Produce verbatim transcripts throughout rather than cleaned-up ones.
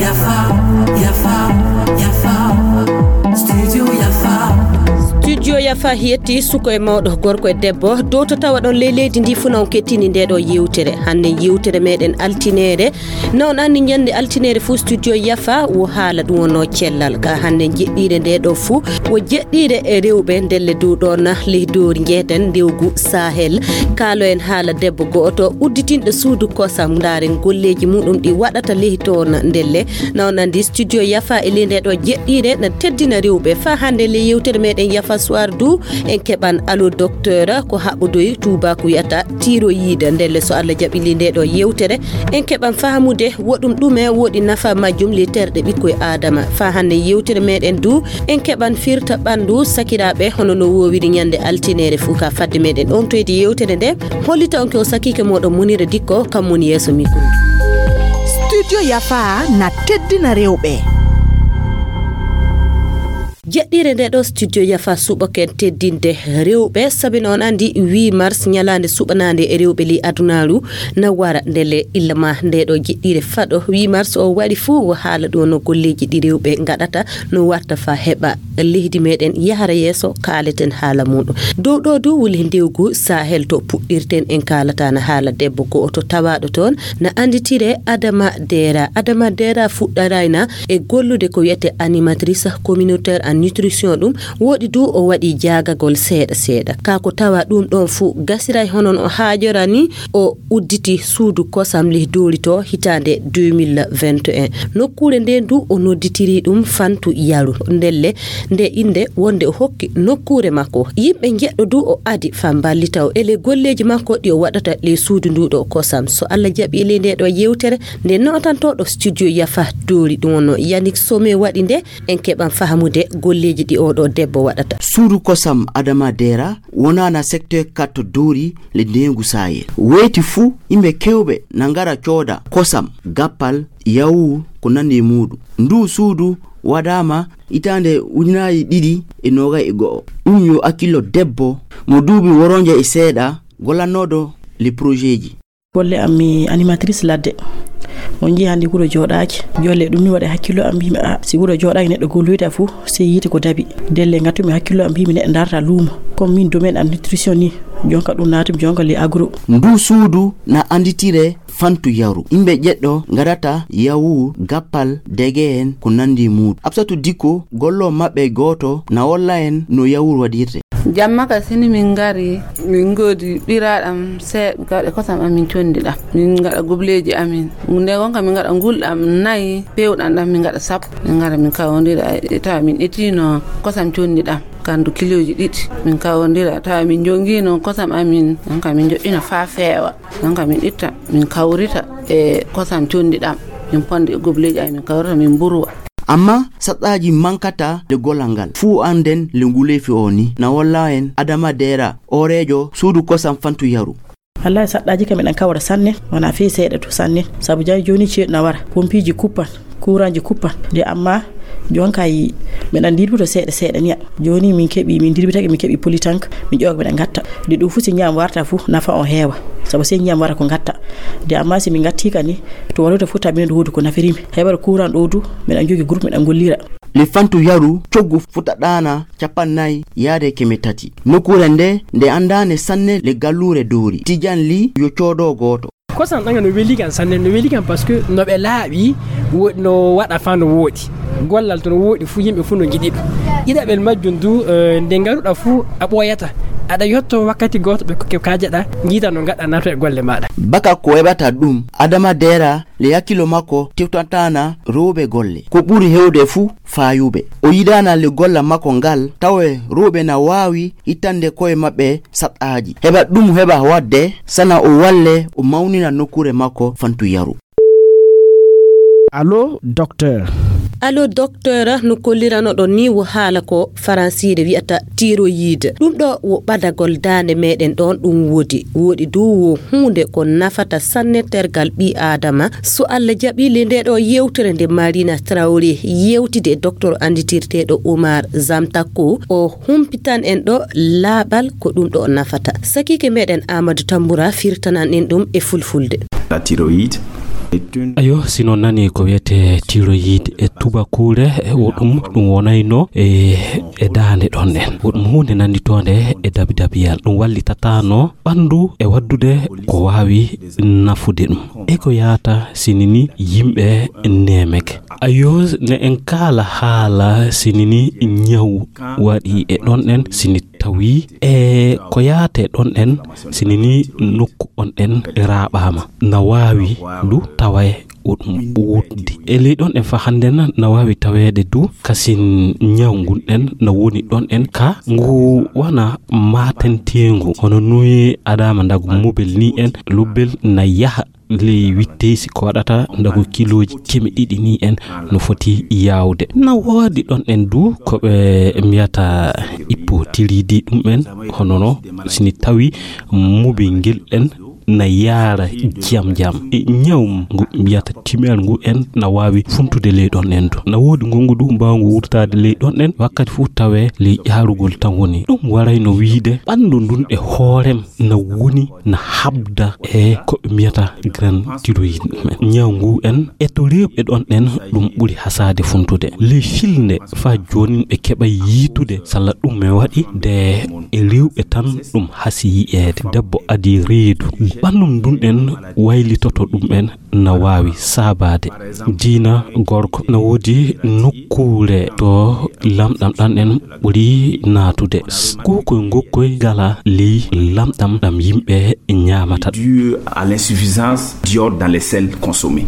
Yafa, Yafa, Yafa, Studio Yafa. Studio Yafa yetti suko e mawɗo, gorko e debbo, dow to tawa ɗon ley leydi ndi fuu na on kettini nde ɗo yewtere. Hannde yewtere meɗen altineere. Na on anndi ñande altineere fuu Studio Yafa wo haala ɗum wonno cellal. Ka hannde jeɗɗiire nde ɗo fuu wo jeɗɗiire e rewɓe ndelle dow ɗon ley doori njeeten rewgu Sahel. Kaalo en haala debbo go'oto udditinɗo suudu kosam, ndaaren golleeji muɗum ɗi waɗata ley toon ndelle. Na on anndi Studio Yafa e ley nde ɗo jeɗɗiire na teddina rewɓe. Faa hannde ley yewtere meɗen Yafa Soir du, en keɓan Allo Docteur ko haɓɓodoyi tuubaaku wiyata tiroyide. Ndelle so Allah jaɓi ley nde ɗo yewtere, en keɓan fahamude woɗum ɗume woɗi nafa majjum ley terɗe ɓikkoy Aadama. Faa hannde yewtere meɗen du, en keɓan firta ɓanndu sakiraaɓe hono no woowiri ñande altineere fuu. Ka fadde meɗen on toyde yewtere nde, hollita on ko sakiike moɗon Munira Dikko, kam woni yeeso mikro. Studio Yafa na teddina rewɓe. Jeɗɗiire nde ɗo Studio Yafa suɓoken teddinde rewɓe, sabi no on anndi huit mars ñalaande suɓanaande e rewɓe ley adunaaru na wara ndelle illa ma nde ɗo jeɗɗiire faɗo huit mars o waɗi fuu wo haala ɗo no golleeji ɗi rewɓe ngaɗata no warta faa heɓa leydi meɗen yahara yeeso, kaaleten haala muɗum. Dow ɗo du wuli ndewgu Sahel to puɗɗirten en kaalata na haala debbo go'oto tawaaɗo toon na annditire Adama Dera. Adama Dera fuɗɗarayna e gollude ko wiyete animatrice communautaire en nutrition ɗum. Woɗi du o waɗi jaagagol seeɗa seeɗa. Ka ko tawa ɗum ɗon fuu gasiray hono no haajora ni o udditi suudu kosam lih doori to hitaande deux mille vingt et un. Nokkuure nden du o nodditiri ɗum Fantu Yaru. Ndelle nde innde wonde o hokki nokkuure makko. Yimɓe njeɗɗo du o adi faa mballita o e ley golleeji makko ɗi o waɗata ley suudu ndu ɗo kosam. So Allah jaɓi e ley nde ɗo yewtere nde nootantooɗo studio Yafa doori ɗum wonno Yannick Somé waɗi nde en keɓan fahamude golleeji ɗi oo ɗoo debbo waɗata. Suudu kosam Adama Dera wonaana secteur quatre doori le ndeengu Sahel. Weeti fuu, yimɓe keewɓe na ngara cooda kosam, gappal, yawuur, ko nanndi e muuɗum. Nduu suudu waɗaama hitaande ujunaaji ɗiɗi e noogay e go'o. Ɗum yo hakkillo debbo mo duuɓi woronje e seeɗa gollanooɗo le projetji. Golle am mi animatrice ladde. On njii hannde wuro jooɗaaki. Jolle ɗum mi waɗa hakkillo am mbimi a si wuro jooɗaaki neɗɗo golloyta fuu sey yiite ko dabi. Ndelle ngattumi hakkillo am mbimi neɗɗo darta luumo. Comme min domaine am nutrition ni jonka ɗum naatumi jonka le agro. Ndu suudu na annditire Fantu Yaru. Yimɓe jeɗɗo ngarata yawuur, gappal, dege en ko nanndi muuɗum. Absatu Dikko gollo maɓɓe gooto na wolla en no yawuur waɗirte. Jamma ka sini min ngari min ngoodi ɓiraaɗam seeɗa gaɗe kosam amin conndi ɗam min ngaɗa gubleeji amin nde gonka min ngaɗa ngulɗam nayi pewɗam ɗam min ngaɗa sappo min ngara min kawondira e tawa min etino kosam conndi ɗam kandu kiloji ɗiɗi min kawondira tawa min jongino kosam amin gonka min joɗɗina fa feewa gonka min itta min kawrita e kosam conndi ɗam min ponda e gobleeji amin min kawrita min mburwa. Amma saɗɗaaji mankata le gollal ngal. Fuu annden le nguleefi o ni na wolla en Adama Deera, ooreejo suudu kosam Fantu Yaru. Wallahi saɗɗaaji kam eɗen kawra sanne, wona fii seeɗa to sanne. Sabu jani jooni ceeɗu na wara, pompiiji kuppan, kuranji kuppan. De amma jon kay meɗen dirbuto seeɗa seeɗa niya. Jooni min keɓi, min dirbitake, min keɓi politank, min ƴooga meɗen ngatta. De ɗum fuu si ñiam warta fuu nafa on heewa. Sabu si ñiam wara ko ngatta. De amma si min ngatti kani, to waɗude fuu tabi meɗen woodu ko nafiri mi. Heɓata kuran ɗo du, meɗen jogi groupe meɗen gollira. Le Fantu Yaru coggu futa ɗaana capannay yaade keme tati. Nokkuure nde, nde anndaane sanne le galluure doori. Tijan Li yo coodo gooto. Kosam ɗan no weli kan sanne, no weli kan parce que no ɓe laaɓi, wo-, no waɗa fa no wooɗi. Gollal to no wooɗi fuu, yimɓe fuu no ngiɗi ɗum. Ɗiɗaɓel majjum du, eh, nde ngaruɗa fuu, a ɓooyata. Aɗa yotto wakkati gooto ɓe kokke kaajeɗa, njiita no ngaɗa nato e golle maaɗa. Baka ko weɓata ɗum, Adama Deera le hakkilo makko tewtantana rewɓe golle. Ko ɓuri hewde fuu faayuɓe. O yiɗaana le golla makko ngal, tawe rewɓe na waawi ittande koye maɓɓe saɗɗaaji. Heɓa ɗum heɓa waɗde, sana o walle, o mawnina nokkuure makko Fantu Yaru. Allo, docteur. Allo, docteur, no kolliranoɗon ni, wo haala ko faransiire wi'ata thyroïde. Ɗum ɗo wo ɓadagol daande meɗen ɗon, ɗum woodi. Woodi du wo huunde ko nafata sanne tergal ɓii Aadama. So Allah jaɓi, le nde ɗo yewtere nde Marina Traoré yewtide e docteur anditirteeɗo Omar Zamtako, o humpitan en ɗo laaɓal ko ɗum ɗo nafata. Sakiike meɗen Amadou Tamboura firtanan en ɗum e fulfulde. La thyroïde est une Ayo, si non nani ko wiyete thyroïde e tubakuure, e wo ɗum, ɗum wonayno e, e daande ɗon en. Wo ɗum huunde nannditonde e dabidabiyal. Ɗum wallitataano ɓanndu e waddude ko waawi nafude ɗum. E ko yaata sinini yimɓe neemeke. Ayo, ne en kaala haala sinini ñaw waɗi e ɗon en, sini tawi e ko yaate ɗon en, sinini nokku on ɗen raaɓaama. Na waawi du tawa e o ɗum wooddi. E ley ɗon en fa hannden na waawi taweede du kasin ñaw ngun ɗen na woni ɗon en ka ngu wana maatenteengu. Hono nuyi adaama ndagu mobel ni en, lobbel na yaha ley witteysi ko waɗata ndagu kilooji keme ɗiɗi ni en no foti yaawde. Na woodi ɗon en du ko ɓe mbiyata ippo tiridi ɗum en, hono no sini tawi mobel ngel ɗen na yaara jam jam. E ñaw ngu mbiyata timel ngu en na waawi funtude ley ɗon en du. Na woodi ngongu du mbaawngu wurtaade ley ɗon en, wakkati fuu tawe ley ƴaarugol tan woni. Ɗum waray no wiide ɓanndu ndun e hoorem na woni na habda e ko ɓe mbiyata grand thyroïde men. Ñaw ngu en e to rewɓe ɗon en ɗum ɓuri hasaade funtude. Ley filnde faa joonin ɓe keɓa yiitude salla ɗum e waɗi de e rewɓe tan ɗum hasi yi'eede. Debbo adi reedu. Ɓanndu ndun en waylitoto ɗum en na waawi saabaade. Diina gorko na woodi nokkuure to lamɗam ɗan en ɓuri naatude. Kuukoy ngokkoy gala ley lamɗam ɗam yimɓe ñaamata. Dû à l'insuffisance d'iode dans les sels consommés.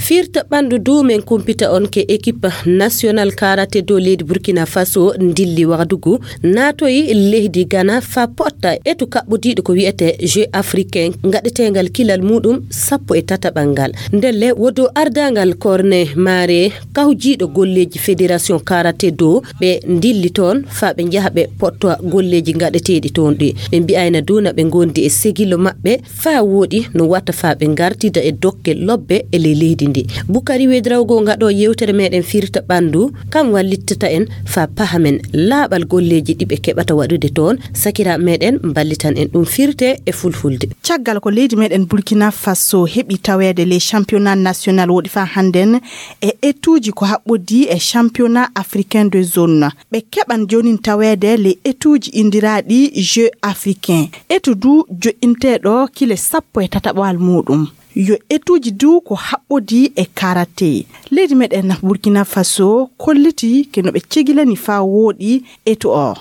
Firta ɓanndu du men kumpita on ke équipe national karaté do leydi Burkina Faso ndilli wadugu naatoyi leydi Ghana fa potta etu kaɓɓodiiɗo ko wiyete Jeux africain ngaɗeteengal kilal muɗum sappo e tataɓal ngal. Ndelle wodo ardangal korne maare kawjiiɗo golleeji fédération karaté do ɓe ndilli toon fa ɓe njaha ɓe pottowa golleeji ngaɗeteeɗi toon ɗi. Ɓe mbi'ayna du na ɓe ngondi e segilo maɓɓe fa wooɗi no wata fa ɓe ngartida e dokke lobbe e ley leydi ndi. Bukari Wedrawgo ngaɗo yewtere meɗen firta ɓandu, kam wallittata en fa pahamen laaɓal golleeji ɗi ɓe keɓata waɗude toon. Sakira meɗen mballitan en ɗum firte e fulfulde. Caggal ko leydi meɗen Burkina Faso heɓi taweede ley championnat national woɗi fa hannden e etuuji ko haɓɓodii e championnat africain de zone, ɓe keɓan joonin taweede ley etuuji inndiraaɗi Jeux africain. Etu du joƴƴinteeɗo kile sappo e tataɓal muuɗum. Yo etuuji du ko haɓɓodii e karaté. Leydi meɗen Burkina Faso kolliti ke no ɓe cegilani faa wooɗi etu o.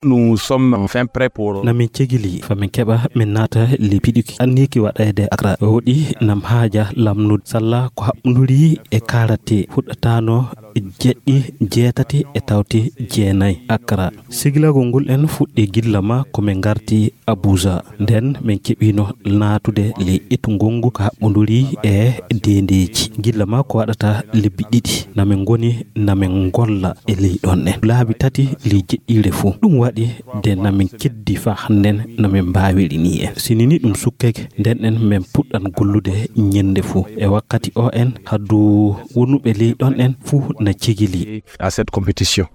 Nous sommes enfin prêts pour Na min cegili fa min keɓa min naata ley piɗuki anniiki waɗeede Accra. Woɗi nam haaja lamnude salla ko haɓɓunduri e karaté fuɗɗataano jeɗɗi jeetati e tawti jeenayi Accra. Segilagol ngol en fuɗɗi gilla ma ko min ngarti Abuja. Nden min keɓino naatude ley etu ngongu ko haɓɓunduri e deendeeji. Gilla ma ko waɗata lebbi ɗiɗi. Na min ngoni na min ngolla e ley ɗon en. Laabi tati ley jeɗɗiire fuu. Ɗum waɗi de na min keddi faa hannden na min mbaawiri ni en. Sinini ɗum sukkeke, nden en min puɗɗan gollude ñennde fuu. E wakkati o en, haddu wonuɓe ley ɗon en fuu na cegili. À cette compétition.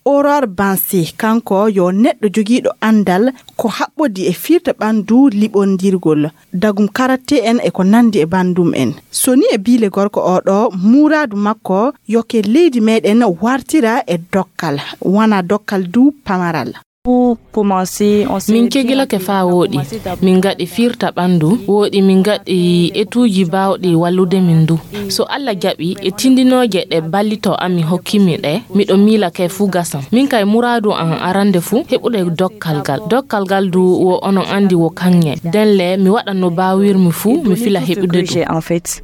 Aurore Bansi, kanko yo neɗɗo jogiiɗo anndal ko haɓɓodi e firta ɓanndu liɓondirgol, dagum karaté en e ko nanndi e banndum en. So ni e biile gorko o ɗo, muuraadu makko yo ke leydi meɗen wartira e dokkal, wana dokkal du pamaral. Min cegilake faa wooɗi, min ngaɗi firta ɓanndu, wooɗi min ngaɗi etuuji baawɗi wallude min du. So Alla jaɓi, e tindinooje ɗe ballito ami hokkimi ɗe, miɗo miila kay fuu gasan. Min kay muraadu am arande fuu heɓude dokkal gal. Dokkal gal du wo onon anndi wo kaŋŋe. Nden le mi waɗan no baawirmi fuu mi fila heɓude ɗum.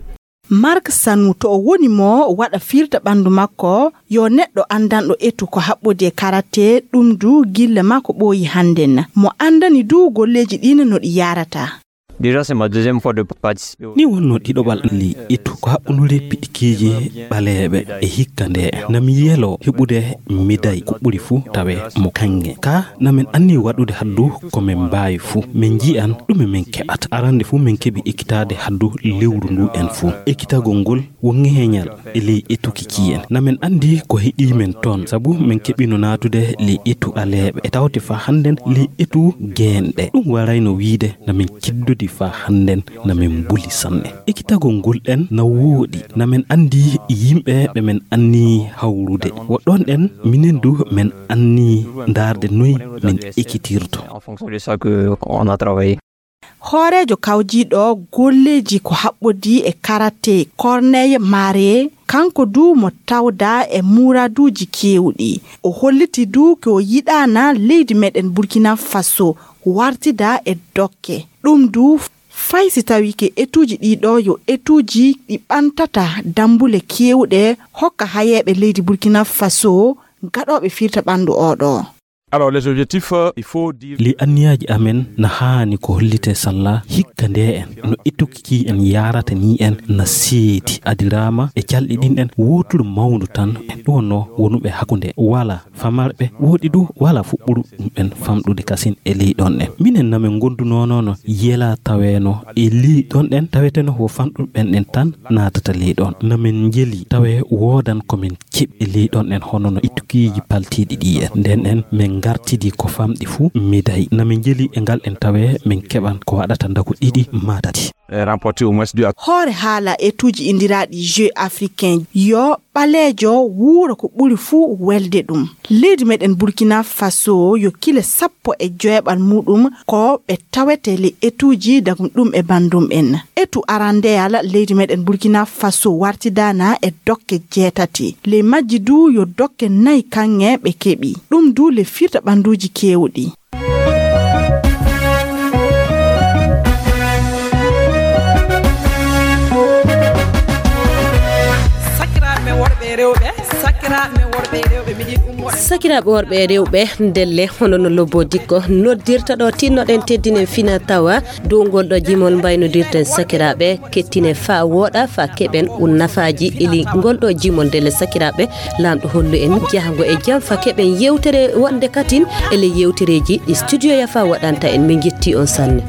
Mark Sanu to o woni mo waɗa firta ɓanndu makko, yo neɗɗo anndanɗo etu ko haɓɓodi e karaté, ɗum du gille makko ɓooyi hannden. Mo anndani du golleeji ɗin no ɗi yaarata. Déjà, c'est ma deuxième fois de participer. Ni wonnoo ɗiɗoɓal ley etu ko haɓɓundude piɗikiiji ɓaleeɓe e hikka nde. Na mi yeloo heɓude médaille ko ɓuri fuu tawee mo kaŋŋe. Ka na min anni waɗude haddu ko min mbaawi fuu. Min njiyan ɗume min keɓata. Arande fuu min keɓi ekkitaade haddu lewru ndu en fuu. Ekkitagol ngol wo ŋeeñal e ley etuki kiyen. Na min anndi ko heɗii min toon, sabu min keɓino naatude ley etu aleeɓe. E tawte faa hannden ley etu geenɗe. Ɗum warayno wiide na min kiddodi faa hannden na min mbuli sanne. Ekkitagol ngol ɗen na wooɗi. Na min anndi yimɓe ɓe min anni hawrude. Wo ɗon ɗen minen du min anni ndaarde noy min ekkitirto. En fonction de ça que on a travaillé. Hooreejo kawjiiɗo golleeji ko haɓɓodii e karate, Corneille Mare, kanko du mo tawdaa e muraduuji keewɗi. O holliti du ko o yiɗaana leydi meɗen Burkina Faso wartida e dokke. Ɗum du fay si tawi ke etuuji ɗiɗo yo etuuji ɗi ɓantata dambule keewɗe hokka hayeeɓe leydi Burkina Faso gaɗooɓe firta ɓanndu oɗo. Alors, les objectifs, euh, il faut dire. Li anniyaaji amen na haani ko hollite salla hikka nde en no etuki en yaarata ni en na seedi adiraama e calɗi ɗin en wooturu mawndu tan ɗum wonno wonuɓe hakkunde wala famarɓe woɗi du wala fuɓɓuru ɗum en famɗude kasin e ley ɗon en. Minen na min gondunoono yela taweeno e ley ɗon en taweteno wo famɗuɓen en tan naatata ley ɗon. Na min njeli tawe woodan ko min keɓi ley ɗon en hono no ittukiiji paltiiɗi ɗi en. Nden en min ngartidi ko famɗi fuu midday. Na min njeli e ngal en tawe min keɓan ko waɗata ndaku ɗiɗi maa tati. Eh, remporté au moins deux à. Hoore haala etuuji inndiraaɗi Jeux africains yo ɓaleejo wuuro ko ɓuri fuu welde ɗum. Leydi meɗen Burkina Faso yo kile sappo e joweeɓal muɗum ko ɓe tawete le etuuji dagum ɗum e bandum en. Etu arandeyal leydi meɗen Burkina Faso wartidaana e dokke jeetati. Ley majji du yo dokke nayi kaŋŋe ɓe keɓi. Ɗum du le firta ɓanduuji keewɗi. Sakiraaɓe men worɓe e rewɓe, sakiraaɓe men worɓe e rewɓe, miɗin ummoɗen. Sakiraaɓe worɓe e rewɓe, ndelle hono no Lobbo Dikko noddirta ɗo, tinnoɗen teddinen fina tawa dow ngol ɗo jimol mbaynodirten sakiraaɓe, kettine faa wooɗa, faa keɓen un nafaaji ili ngol ɗo jimol. Ndelle sakiraaɓe, Laamɗo hollu en jahango e jam, faa keɓen yewtere wonde katin e ley yewtereeji ɗi studio Yafa waɗanta en. Min jetti on sanne.